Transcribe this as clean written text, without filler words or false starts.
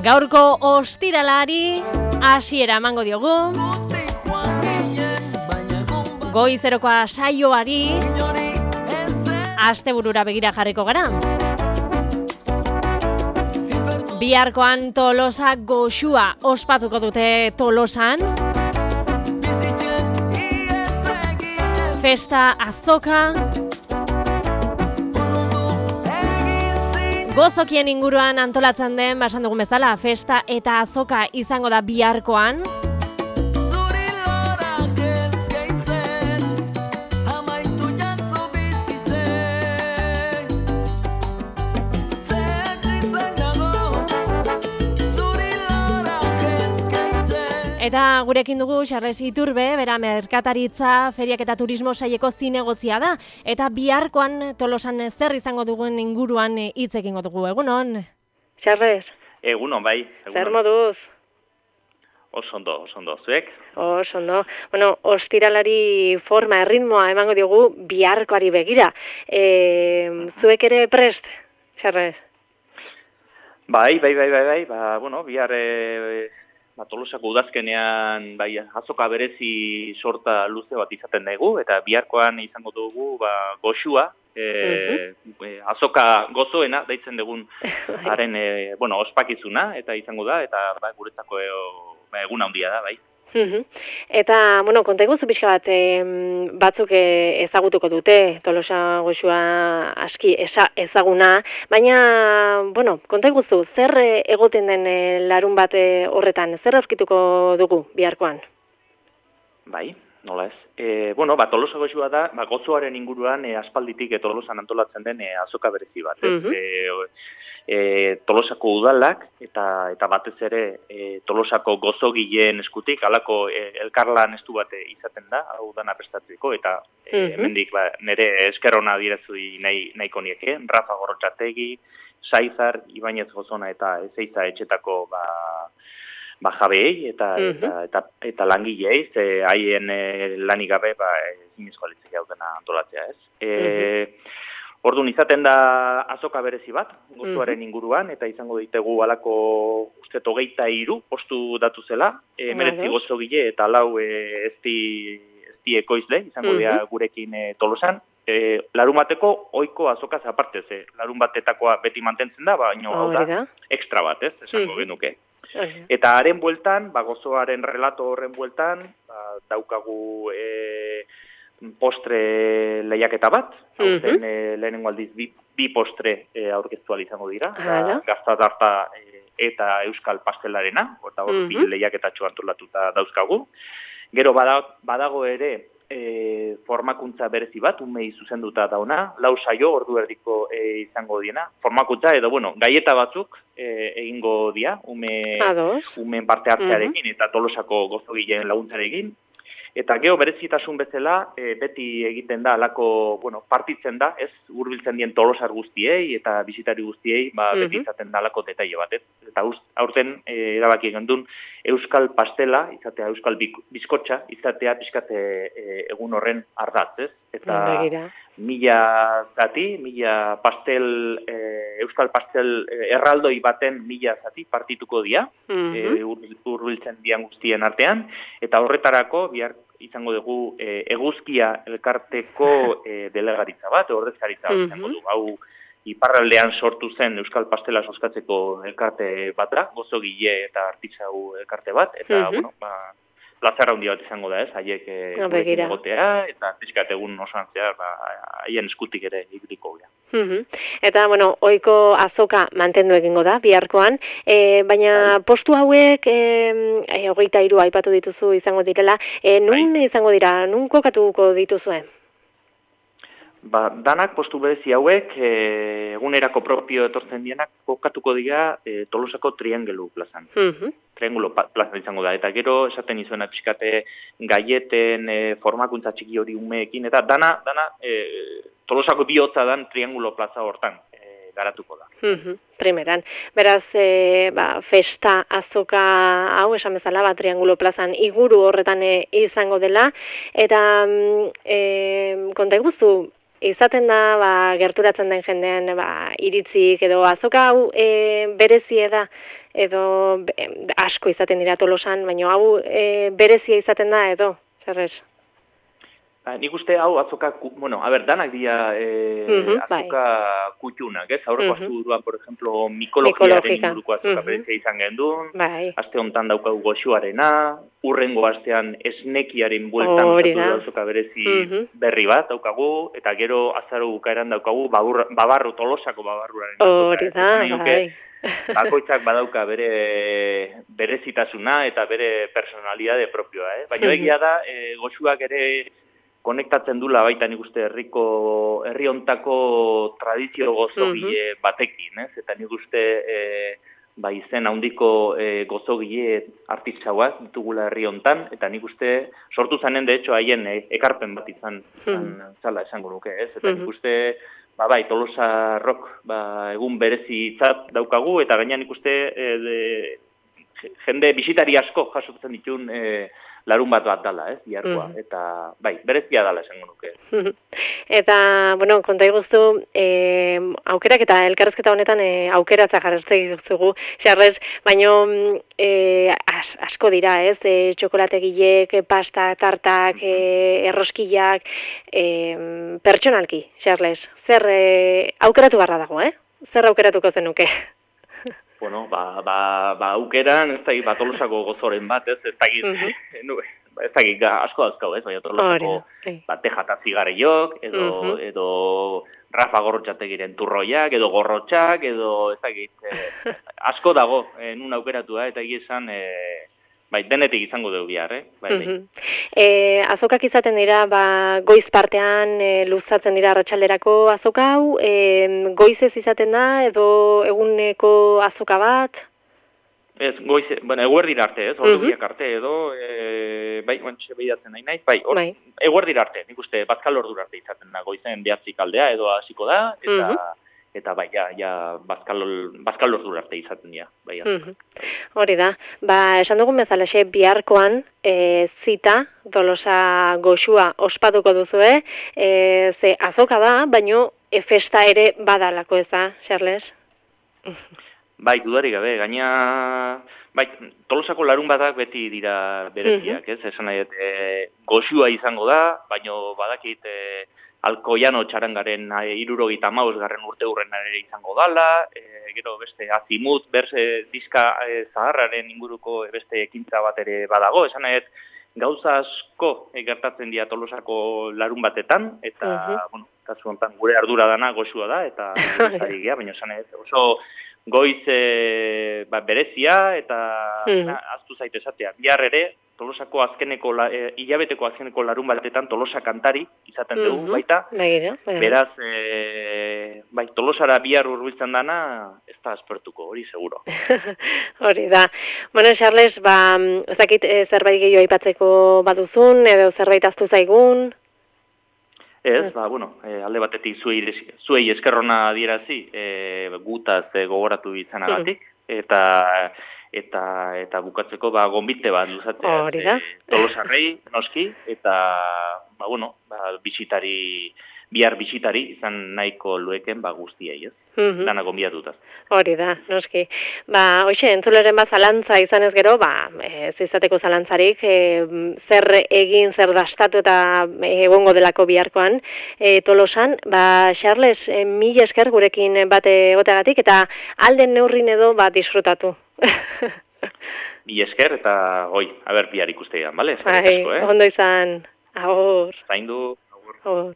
Gaurko ostiralari hasiera emango diogu. Goizerokoa saioari asteburura begira jarriko gara. Biharkoan Tolosa goxua ospatuko dute Tolosan. Festa azoka. Gozokien inguruan antolatzen den, basan dugun bezala, festa eta azoka izango da biharkoan. Eta gurekin dugu Xarles Iturbe, bera merkataritza, feriak eta turismo saileko zinegozia da. Eta biharkoan Tolosan zer izango dugun inguruan hitz egingo dugu. Egunon? Xarles? Egunon, bai. Egunon. Zer moduz? Oso ondo, zuek? Oso ondo. Bueno, ostiralari forma, erritmoa emango diogu biharkoari begira. Zuek ere prest, Xarles? Bai. Bihar... Tolosako udazkenean azoka berezi sorta luze bat izaten dugu, eta biharkoan izango dugu goxua, azoka gozoena, daitzen dugun haren ospakizuna, eta izango da, eta guretzako egun handia da, bai. Eta, konta iguzu pixka bat, batzuk ezagutuko dute, Tolosa goxua aski ezaguna, baina, konta iguzu, zer egoten den larun bat horretan, zer aurkituko dugu biharkoan? Bai, nola ez. Tolosa goxua da, gozoaren inguruan aspalditik Tolosan antolatzen den azoka berezi bat, Tolosako udalak eta batez ere Tolosako gozogileen eskutik halako elkarlan estu bat izaten da, hau dana prestatzeko, eta hemendik nire esker ona adierazui nahiko nieke, Rafa Gorrotxategi, Saizar, Ibañez Gozona eta Ezeiza etxetako jabeei eta langilei, haien lanik gabe zinezkoa litzeke hau dena antolatzea, ez? Orduan izaten da azoka berezi bat, gozoaren inguruan, eta izango ditegu alako uste 23 postu datu zela, 19 gozogile eta 4 ezti ekoizle, izango dira gurekin Tolosan. Larunbateko ohiko azokaz aparte, larun batetakoa beti mantentzen da, baina hau da extra bat, esango genuke. Eta haren bueltan, gozoaren relato horren bueltan, daukagu postre lehiaketa bat, lehenengo aldiz bi postre aurkeztu izango dira, gaztatarta eta euskal pastelarena, eta hor bi lehiaketatxo antolatuta dauzkagu. Gero badago ere formakuntza berezi bat, umei zuzenduta dauna, 4 saio ordu erdiko izango diena. Formakuntza edo, gaieta batzuk egingo dia, umeen parte hartzearekin eta Tolosako gozogileen laguntzarekin. Eta gero berezitasun bezala, beti egiten da, alako, partitzen da, ez, hurbiltzen dien Tolosar guztiei eta bisitari guztiei, beti izaten da alako detaile bat, ez. Eta aurten erabaki gendun euskal pastela, izatea euskal bizkotxa, izatea pixkate egun horren ardatz, ez. Eta 1000 zati, 1000 pastel, euskal pastel erraldoi baten 1000 zati partituko dira, hurbiltzen dian guztien artean, eta horretarako bihar izango dugu eguzkia elkarteko delegaritza bat, ordezkaritza bat izango du. Hau iparraldean sortu zen euskal pastela soskatzeko elkarte bat da, gozogile eta artisau elkarte bat, eta, plazara handia bat izango da, ez, haiek gurekin egotea, eta pixkat egun osoan zehar, haien eskutik ere ibiliko gara. Eta, ohiko azoka mantendu egingo da, biharkoan, baina postu hauek, 23 aipatu dituzu izango direla, nun izango dira, nun kokatuko dituzue? Danak postu berezi hauek, egunerako propio etortzen dienak, kokatuko dira Tolosako triangelu plazan. Triangulo plazan izango da, eta gero esaten izuena pixkate gaieten formakuntza txiki hori umeekin, eta dana Tolosako bihotza dan triangulo plaza hortan garatuko da. Primeran. Beraz, festa azoka hau, esan bezala, triangulo plazan iguru horretan izango dela, eta konta iguzu, izaten da, gerturatzen den jendean, iritzik edo azoka hau berezie da edo asko izaten dira Tolosan, baina hau berezia izaten da edo, Charles? Nik uste hau azoka, danak dira azoka kutxunak, ez? Aurreko astuduan, por ejemplo, mikologiaren inguruko azoka berezia izan gendun, aste honetan daukagu goxuarena, urrengo astean esnekiaren bueltan azoka berezi berri bat daukagu, eta gero azaro bukaeran daukagu Tolosako babarruaren azoka. Bakoitzak badauka bere berezitasuna eta bere personalidade propioa, baina egia da, goxuak ere konektatzen dula baita nik uste herri hontako tradizio gozogile batekin, eta nik uste izen handiko gozogile artisauak ditugula herri hontan, eta nik uste sortu zanen, de hecho, haien ekarpen bat izan zala esango nuke, eta nik uste Tolosa rock egun berezitzat daukagu, eta gaina nik uste jende bisitari asko jasotzen ditun larun bat dala, biharkoa, eta berezia dala esango nuke. Eta, konta iguztu, aukerak eta elkarrezketa honetan aukeratza jarretzek duzugu, Charles, baino asko dira, txokolategilek, pasta, tartak, erroskillak, pertsonalki, Charles, zer aukeratu barra dago, Zer aukeratuko zenuke? Bueno, aukeran, ez da Tolosako gozoren bat, ez da asko dauzkau, baina Tolosako tejata zigarriok, edo Rafa Gorrotxategiren turroiak, edo gorrotxak, edo asko dago nun aukeratu da, eta esan denetik izango dugu bihar, Azokak izaten dira, goiz partean luzatzen dira arratsalderako azoka hau, goizez izaten da, edo eguneko azoka bat? Ez, goiz, eguerdira arte, ordu arte, edo, guantxe behidatzen nahi naiz, eguerdira arte, nik uste, bazkal ordura arte izaten da, goizen 9 aldea, edo hasiko da, eta bazkal ordura arte izaten dira. Hori da, esan dugun bezalaxe biharkoan zita Tolosa goxua ospatuko duzue, ze azoka da, baino festa ere badalako ez da, Charles? Dudarik gabe, gaina Tolosako larun batak beti dira bereziak, esan nahi, goxua izango da, baino badakit Alkoiano txarangaren 75. urte hurrena ere izango dala, gero beste Azimut, berse diska zaharraren inguruko beste ekintza bat ere badago, esan nahi, gauza asko gertatzen dira Tolosako larun batetan, eta, kasu honetan gure ardura dana goxua da, eta baina esan nahi, oso goiz berezia, eta aztu zaite esatea, bihar ere, Tolosako hilabeteko azkeneko larun batetan Tolosa kantari izaten dugu baita. Beraz, Tolosara bihar hurbiltzen dana, ez da aspertuko, hori seguro. Hori da. Bueno, Charles, ez dakit zerbait gehiago aipatzeko baduzun, edo zerbait aztu zaigun? Ez, alde batetik zuei eskerrona adierazi, gutaz gogoratu izanagatik, eta bukatzeko gonbite bat luzatzea Tolosarrei, noski, eta bihar bisitari izan nahiko lueken guztiei, ez? Dana gonbidatuta. Hori da, noski. Hoxe, entzuleren zalantza izanez gero, ez izateko zalantzarik, zer egin, zer dastatu eta egongo delako biharkoan Tolosan. Charles, mila esker gurekin bate goteagatik, eta alden neurrin edo disfrutatu. Mila esker, eta bihar ikustean, bale? Ondo izan, agur. Zaindu, agur.